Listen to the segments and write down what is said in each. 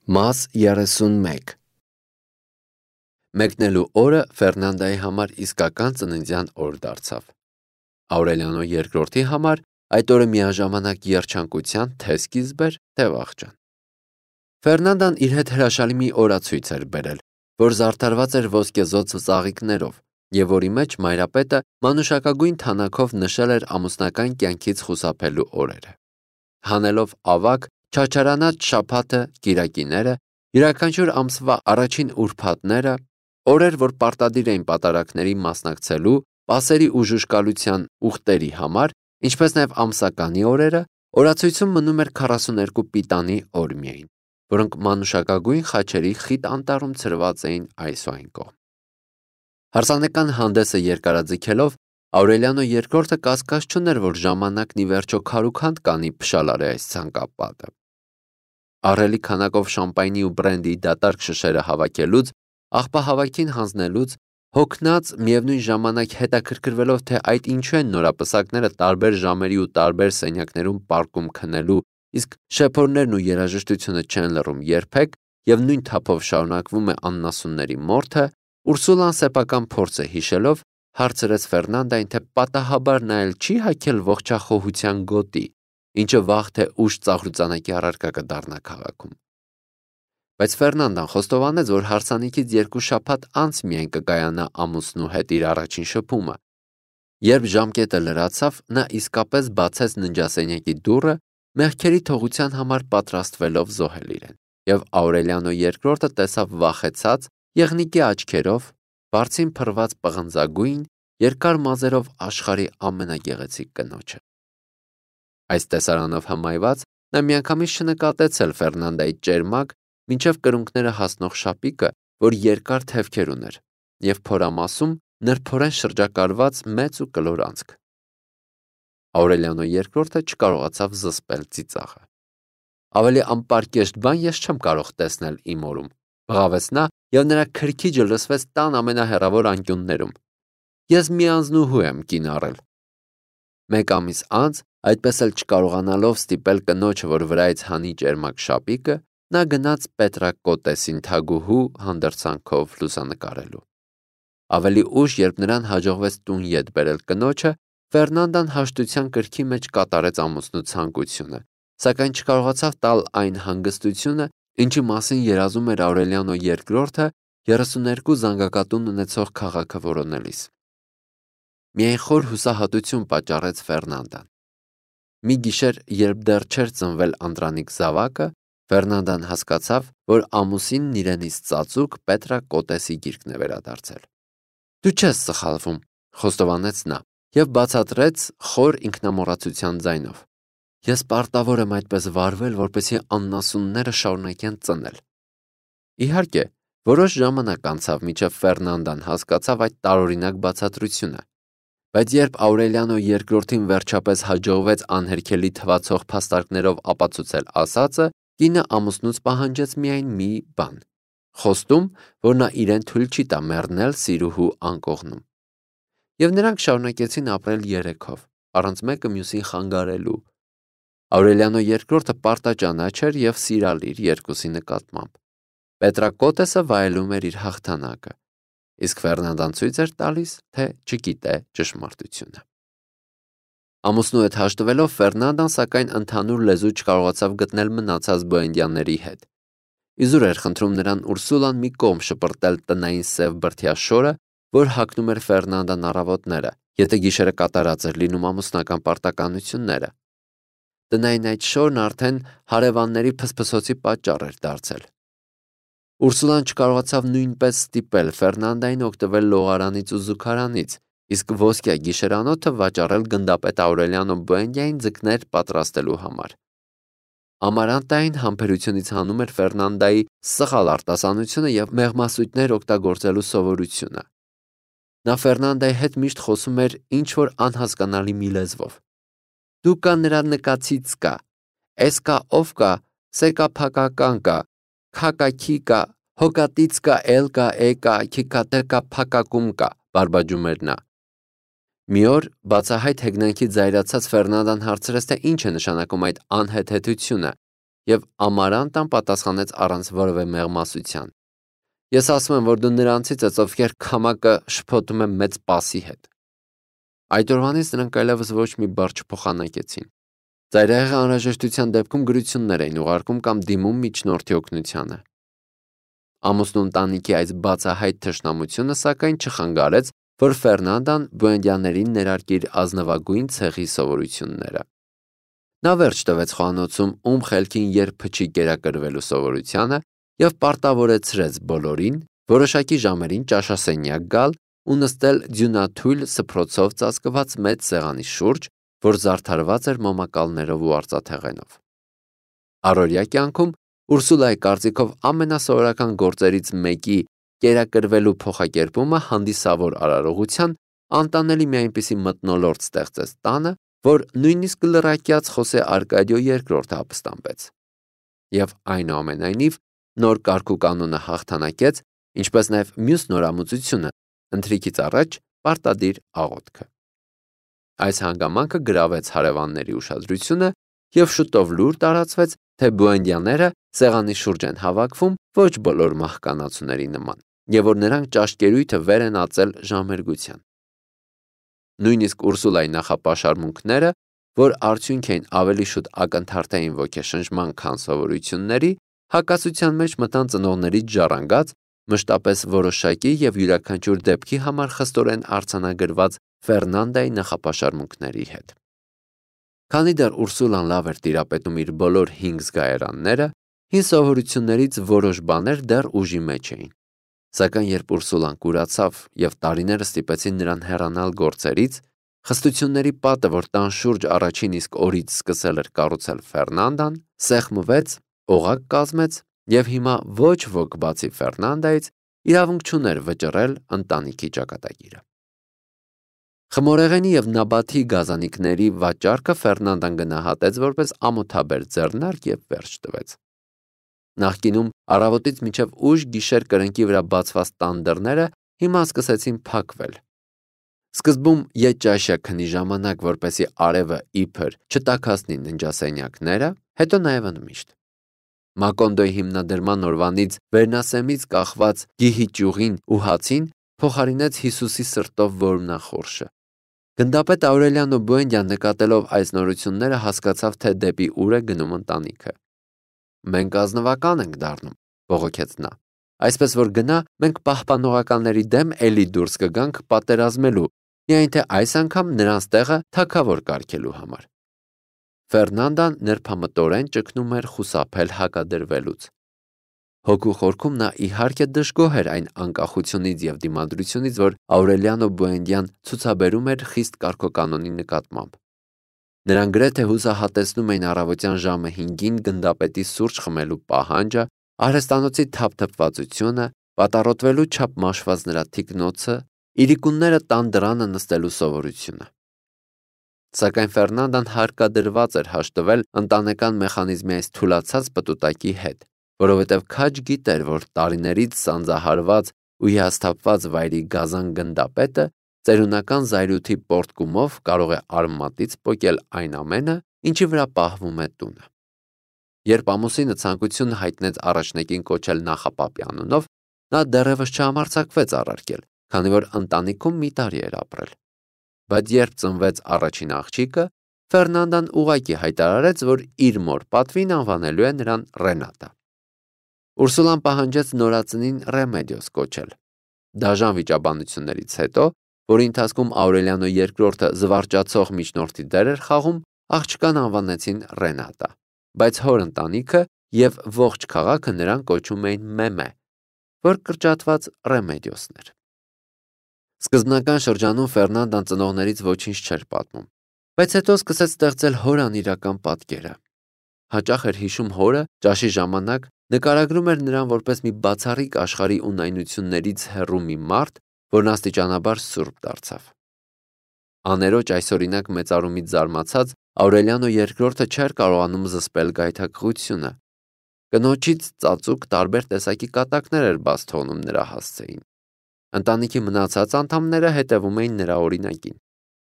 Մաս 31 Մեկնելու օրը Ֆերնանդայի համար իսկական ծննդյան օր դարձավ։ Աուրելիանո երկրորդի համար այդ օրը միաժամանակ երջանկության թե սկիզբ էր, թե վախճան։ Ֆերնանդան իր հետ հրաշալի մի օրացույց էր բերել, որ զարդարված էր ոսկեզօծ ծաղիկներով, եւ որի մեջ մայրապետը մանուշակագույն թանաքով նշել էր ամուսնական կյանքից խուսափելու օրերը։ Հանելով ավագ, չաչարանած շաբաթը, կիրակիները, յուրաքանչյուր ամսվա առաջին ուրբաթները, օրեր, որ պարտադիր էին պատարագների մասնակցելու, պասերի ու ժուժկալության ուխտերի համար, ինչպես նաև ամսականի օրերը, օրացույցում մնում էր 42 պիտանի օր միայն, որոնք մանուշակագույն խաչերի խիտ անտառում ցրված էին այս ու այն կողմ։ Հարսանեկան հանդեսը երկարաձգելով, Աուրելիանո երկրորդը կասկած չուներ, որ ժամանակն ի վերջո քարուքանդ կանի փշալարի այս ցանկապատը։ Ահռելի քանակով շամպայնի ու բրենդի դատարկ շշերը հավաքելուց, աղբահավաքին հանձնելուց, հոգնած միևնույն ժամանակ հետաքրքրվելով, թե այդ ինչու են նորապսակները տարբեր ժամերի ու տարբեր սենյակներում պարկում քնելու, իսկ շեփորներն ու երաժշտությունը չեն լռում երբեք եւ նույն թափով շարունակվում է աննասունների մորթը, Ուրսուլան սեփական փորձը հիշելով հարցրեց Ֆերնանդային, թե պատահաբար նա էլ չի հագել ողջախոհության գոտի, ինչը վաղ թե ուշ ծաղրուծանակի առարկա կդառնա քաղաքում։ Բայց Ֆերնանդան խոստովանեց, որ հարսանիքից 2 շաբաթ անց միայն կկայանա ամուսնու հետ իր առաջին շփումը։ Երբ ժամկետը լրացավ, նա իսկապես բացեց ննջասենյակի դուռը, մեղքերի թողության համար պատրաստվելով զոհել իրեն, եւ Աուրելիանո երկրորդը տեսավ վախեցած, եղնիկի աչքերով, բարձին փռված պղնձագույն, երկար մազերով աշխարհի ամենագեղեցիկ կնոջը։ Այս տեսարանով հմայված, նա միանգամից չնկատեց էլ Ֆերնանդայի ճերմակ, մինչև կրունկները հասնող շապիկը, որ երկար թևքեր ուներ, եւ փորամասում նրբորեն շրջակալված մեծ ու կլոր անցք։ Աուրելիանո երկրորդը չկարողացավ զսպել ծիծաղը։ Ավելի անպարկեշտ բան ես չեմ կարող տեսնել իմ օրում, բղավեց նա, եւ նրա քրքիջը լսվեց տան ամենահեռավոր անկյուններում։ Ես մի անձնուհու եմ կին առել։ Մեկ ամիս անց, այդպես էլ չկարողանալով ստիպել կնոջը, որ վրայից հանի ճերմակ շապիկը, նա գնաց Պետրակոտեսին թագուհու հանդերձանքով լուսանկարելու։ Ավելի ուշ, երբ նրան հաջողվեց տուն ետ բերել կնոջը, Ֆերնանդան հաշտության կրքի մեջ կատարեց ամուսնու ցանկությունը, սակայն չկարողացավ տալ այն հանգստությունը, ինչի մասին երազում էր Աուրելիանո երկրորդը 32 զանգակատուն ունեցող քաղաքը որոնելիս։ Միայն խոր հուսահատություն պատճառեց Ֆերնանդան։ Մի գիշեր, երբ դեռ չէր ծնվել Անդրանիկ զավակը, Ֆերնանդան հասկացավ, որ ամուսինն իրենից ծածուկ Պետրակոտեսի գիրկն է վերադարձել։ Դու չես սխալվում, խոստովանեց նա, եւ բացատրեց խոր ինքնամոռացության ձայնով։ Ես պարտավոր եմ այդպես վարվել, որպեսզի աննասունները շարունակեն ծնել։ Իհարկե, որոշ ժամանակ անցավ, մինչև Ֆերնանդան հասկացավ այդ տարօրինակ բացատրությունը, բայց երբ Աուրելիանո երկրորդին վերջապես հաջողվեց անհերքելի թվացող փաստարկներով ապացուցել ասածը, կինը ամուսնուց պահանջեց միայն մի բան՝ խոստում, որ նա իրեն թույլ չի տա մեռնել սիրուհու անկողնում։ Եվ նրանք շարունակեցին ապրել երեքով, առանց մեկը մյուսին խանգարելու։ Աուրելիանո երկրորդը պարտաճանաչ էր եւ սիրալիր երկուսի նկատմամբ։ Պետրակոտեսը վայելում էր իր հաղթանակը, իսկ Ֆերնանդան ցույց էր տալիս, թե չգիտե ճշմարտությունը։ Ամուսնու հետ հաշտվելով Ֆերնանդան սակայն ընդհանուր լեզու չկարողացավ գտնել մնացած բոհենդյանների հետ։ Իզուր էր խնդրում նրան Ուրսուլան մի կողմ շպրտել տնային սև բրդյա շորը, որ հագնում էր Ֆերնանդան առավոտները, եթե գիշերը կատարած էր լինում ամուսնական պարտականությունները։ Տնային այդ շորն արդեն հարևանների փսփսոցի պատճառ էր դարձել։ Ուրսուլան չկարողացավ նույնպես ստիպել Ֆերնանդային օգտվել լողարանից ու զուգարանից, իսկ ոսկյա գիշերանոթը վաճառել գնդապետ Աուրելիանո Բոենդիային ձկներ պատրաստելու համար։ Ամարանտային համբերությունից հանում էր Ֆերնանդայի սխալ արտասանությունը եւ մեղմասույթներ օգտագործելու սովորությունը։ Նա Ֆերնանդայի հետ միշտ խոսում էր ինչ-որ անհասկանալի մի լեզվով։ Դու կա նրա նկացից կա, էս կա ով կա, սե կա փակական կա, քակաքի կա, հոկատից կա, էլ կա, է կա, քիկատե կա, փակակում կա, բարբաջում էր նա։ Մի օր բացահայտ հեգնանքի զայրացած Ֆերնանդան հարցրեց, թե ինչ է նշանակում այդ անհեթեթությունը, Եվ Ամարանտան պատասխանեց առանց որևէ մեղմասության. Ես ասում եմ, որ դու նրանցից ես, ովքեր քամակը շփոթում են մեծ պասի հետ։ Այդ օրվանից նրանք այլևս ոչ մի բառ չփոխանակեցին։ Ծայրահեղի անհրաժեշտության դեպքում գրություններ էին ուղարկում կամ դիմում միջնորդի օգնությանը։ Ամուսնու ընտանիքի այս բացահայտ թշնամությունը սակայն չխանգարեց, որ Ֆերնանդան Բուենդիաներին ներարկի իր ազնվագույն ցեղի սովորությունները։ Նա վերջ տվեց խոհանոցում խելքին երբ փչի կերակրվելու սովորությանը և պարտավորեցրեց բոլորին որոշակի ժամերին ճաշասենյակ գալ ու նստել ձյունաթույլ սփռոցով ծածկված մեծ սեղանի շուրջ, որ զարդարված էր մոմակալներով ու արծաթեղենով։ Առօրյա կյանքում Ուրսուլայի կարծիքով ամենասովորական գործերից մեկի կերակրվելու փոխակերպումը հանդիսավոր արարողության անտանելի մի այնպիսի մթնոլորտ ստեղծեց տանը, որ նույնիսկ լռակյաց Խոսե Արկադիո II ապստամբեց։ Եվ այնուամենայնիվ նոր կարգուկանոնը հաղթանակեց, ինչպես նաև մյուս նորամուծությունը ընթրիքից առաջ պարտադիր աղոթքը։ Այս հանգամանքը գրավեց հարևանների ուշադրությունը և շուտով լուր տարածվեց, թե Բուենդիաները սեղանի շուրջ են հավաքվում ոչ բոլոր մահկանացուների նման, և որ նրանք ճաշկերույթը վեր են ածել ժամերգության։ Նույնիսկ Ուրսուլայի նախապաշարմունքները, որ արդյունք էին ավելի շուտ ակնթարթային ոգեշնչման, քան սովորությունների, հակասության մեջ մտան ծնողներից ժառանգած, մշտապես որոշակի և յուրաքանչյուր դեպքի համար խստորեն արձանագրված Ֆերնանդայի նախապաշարմունքների հետ։ Քանի դեռ Ուրսուլան լավ էր տիրապետում իր բոլոր 5 զգայարանները, հին սովորություններից որոշ բաներ դեռ ուժի մեջ էին։ Սակայն երբ Ուրսուլան կուրացավ և տարիները ստիպեցին նրան հեռանալ գործերից, խստությունների պատը, որ տան շուրջ առաջին իսկ օրից սկսել էր կառուցել Ֆերնանդան, սեղմվեց, օղակ կազմեց և հիմա ոչ ոք բացի Ֆերնանդայից իրավունք չուներ վճռել ընտանիքի ճակատագիրը։ Խմորեղենի և նաբաթի գազանիկների վաճառքը Ֆերնանդան գնահատեց որպես ամոթաբեր ձեռնարկ և վերջ տվեց։ Նախկինում առավոտից մինչև ուշ գիշեր կրնկի վրա բացված տան դռները հիմա սկսեցին փակվել։ Սկզբում ետճաշյա քնի ժամանակ, որպեսզի արևը իբր չտաքացնի ննջասենյակները, հետո նաև ընդմիշտ։ Մակոնդոյի հիմնադրման օրվանից վերնասեմից կախված գիհի ճյուղին ու հացին փոխարինեց Հիսուսի սրտով որմնախորշը։ Գնդապետ Աուրելիանո Բուենդիան նկատելով այս նորությունները հասկացավ, թե դեպի ուր է գնում ընտանիքը։ Մենք ազնվական ենք դառնում, բողոքեց նա։ Այսպես որ գնա, մենք պահպանողականների դեմ էլի դուրս կգանք պատերազմելու, միայն թե այս անգամ նրանց տեղը թագավոր կարգելու համար։ Ֆերնանդան նրբամտորեն ճգնում էր խուսափել հակադրվելուց։ Հոգու խորքում նա իհարկե դժգոհ էր այն անկախությունից և դիմադրությունից, որ Աուրելիանո Բուենդիան ցուցաբերում էր խիստ կարգոկանոնի նկատմամբ։ Նրան գրեթե հուսահատեցնում էին առավոտյան ժամը 5-ին գնդապետի սուրճ խմելու պահանջը, արհեստանոցի թափթփվածությունը, պատառոտվելու չափ մաշված նրա թիկնոցը, իրիկունները տան դռանը նստելու սովորությունը։ Սակայն Ֆերնանդան հարկադրված էր հաշտվել ընտանեկան մեխանիզմի այս թուլացած պտուտակի հետ, որովհետև քաջ գիտեր, որ տարիներից սանձահարված ու հիասթափված վայրի գազան գնդապետը ծերունական զայրույթի պոռթկումով կարող է արմատից պոկել այն ամենը, ինչի վրա պահվում է տունը։ Երբ ամուսինը ցանկություն հայտնեց առաջնեկին կոչել նախապապի անունով, նա դեռևս չհամարձակվեց առարկել, քանի որ ընտանիքում մի տարի էր ապրել։ Բայց երբ ծնվեց առաջին աղջիկը, Ֆերնանդան ուղղակի հայտարարեց, որ իր մոր պատվին անվանելու է նրան Ռենատա։ Ուրսուլան պահանջեց նորածնին Ռեմեդիոս կոչել։ Դաժան վիճաբանություններից հետո, որի ընթացքում Աուրելիանո II զվարճացող միջնորդի դեր էր խաղում, աղջկան անվանեցին Ռենատա, բայց հոր ընտանիքը և ողջ քաղաքը նրան կոչում էին Մեմե, որ կրճատված Ռեմեդիոսն էր։ Սկզբնական շրջանում Ֆերնանդան ծնողներից ոչինչ չէր պատմում, բայց հետո սկսեց ստեղծել հոր անիրական պատկերը։ Հաճախ էր հիշում հորը, ճաշի ժամանակ նկարագրում էր նրան որպես մի բացառիկ աշխարհի ունայնություններից հեռու մի մարդ, որն աստիճանաբար սուրբ դարձավ։ Աներոջ այսօրինակ մեծարումից զարմացած Աուրելիանո II չէր կարողանում զսպել գայթակղությունը։ Կնոջից ծածուկ տարբեր տեսակի կատակներ էր բաց թողնում նրա հասցեին։ Ընտանիքի մնացած անդամները հետևում էին նրա օրինակին։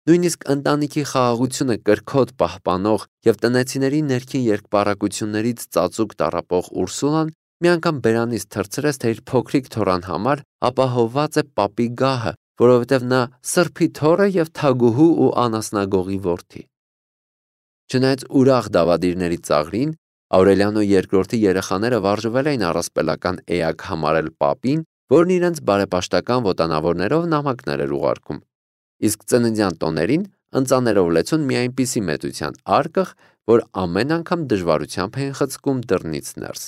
Նույնիսկ ընտանիքի խաղաղությունը կրքոտ պահպանող եւ տնեցիների ներքին երկպառակություններից ծածուկ տառապող Ուրսուլան մի անգամ բերանից թռցրեց, թե իր փոքրիկ թոռան համար ապահովված է պապի գահը, որովհետև նա սրբի թոռ է եւ թագուհու ու անասնագողի որդի։ Չնայած ուրախ դավադիրների ծաղրին, Աուրելիանո II երեխաները վարժվել էին առասպելական էակ համարել պապին, որն իրենց բարեպաշտական ոտանավորներով նամակներ էր ուղարկում, իսկ ծննդյան տոներին ընծաներով լեցուն մի այնպիսի մեծության արկղ, որ ամեն անգամ դժվարությամբ էին խցկում դռնից ներս։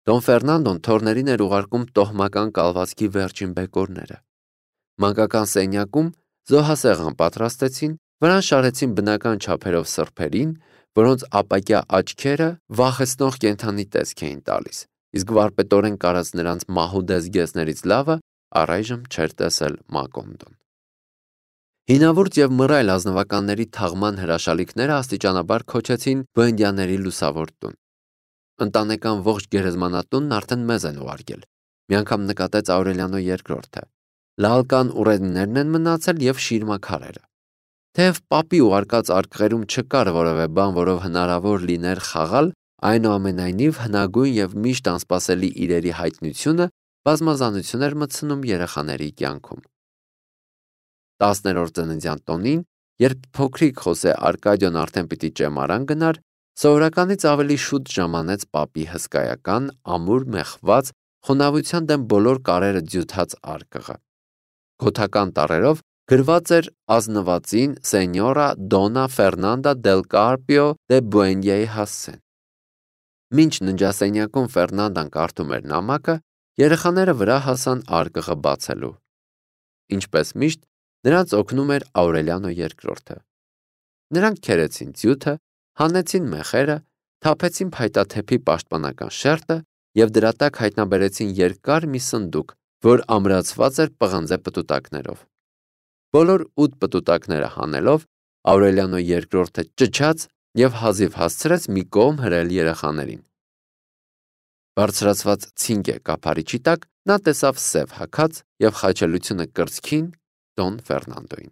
Դոն Ֆերնանդոն թոռներին էր ուղարկում տոհմական կալվածքի վերջին բեկորները։ Մանկական սենյակում զոհասեղան պատրաստեցին, վրան շարեցին բնական չափերով սրբերին, որոնց ապակյա աչքերը վախեցնող կենդանի տեսք էին տալիս, իսկ վարպետորեն կարած նրանց մահուդես գեսներից լավը առայժմ չէր տեսել Մակոնդոն։ Հինավուրց եւ մռայլ ազնվականների թաղման հրաշալիքները աստիճանաբար քոչեցին բոհենդյանների լուսավոր տուն։ Ընտանեկան ողջ գերեզմանատունն արդեն մեզ են ուղարկել, մի անգամ նկատեց Աուրելիանո II-ը։ Լալկան ուռենիներն են մնացել եւ շիրմաքարերը։ Թեև պապի ուղարկած արկղերում չկար որևէ բան, որով հնարավոր լիներ խաղալ, այնուամենայնիվ հնագույն եւ միշտ անսպասելի իրերի հայտնությունը բազմազանություն էր մտցնում երեխաների կյանքում։ 10-րդ ծննդյան տոնին, երբ փոքրիկ Խոսե Արկադիոն արդեն պիտի ճեմարան գնար, սովորականից ավելի շուտ ժամանեց պապի հսկայական, ամուր մեխված, խոնավության դեմ բոլոր կարերը ձյութած արկղը։ Գոթական տառերով գրված էր ազնվածին Սենյորա Դոնա Ֆերնանդա դել Կարպիո դե Բուենդիայի հասցեն։ Մինչ ննջասենյակում Ֆերնանդան կարդում էր նամակը, երեխաները վրա հասան արկղը բացելու։ Ինչպես միշտ, նրանց օգնում էր Աուրելիանո II-ը։ Նրանք քերեցին ձյութը, հանեցին մեխերը, թափեցին փայտաթեփի պաշտպանական շերտը եւ դրա տակ հայտնաբերեցին երկար մի սնդուկ, որ ամրացված էր պղնձե պտուտակներով։ Բոլոր 8 պտուտակները հանելով, Աուրելիանո II-ը ճչաց եւ հազիվ հասցրեց մի կողմ հրել երեխաներին։ Բարձրացված ցինկե կափարիչի տակ նա տեսավ սև հագած եւ խաչելությունը կրծքին Դոն Ֆերնանդոին։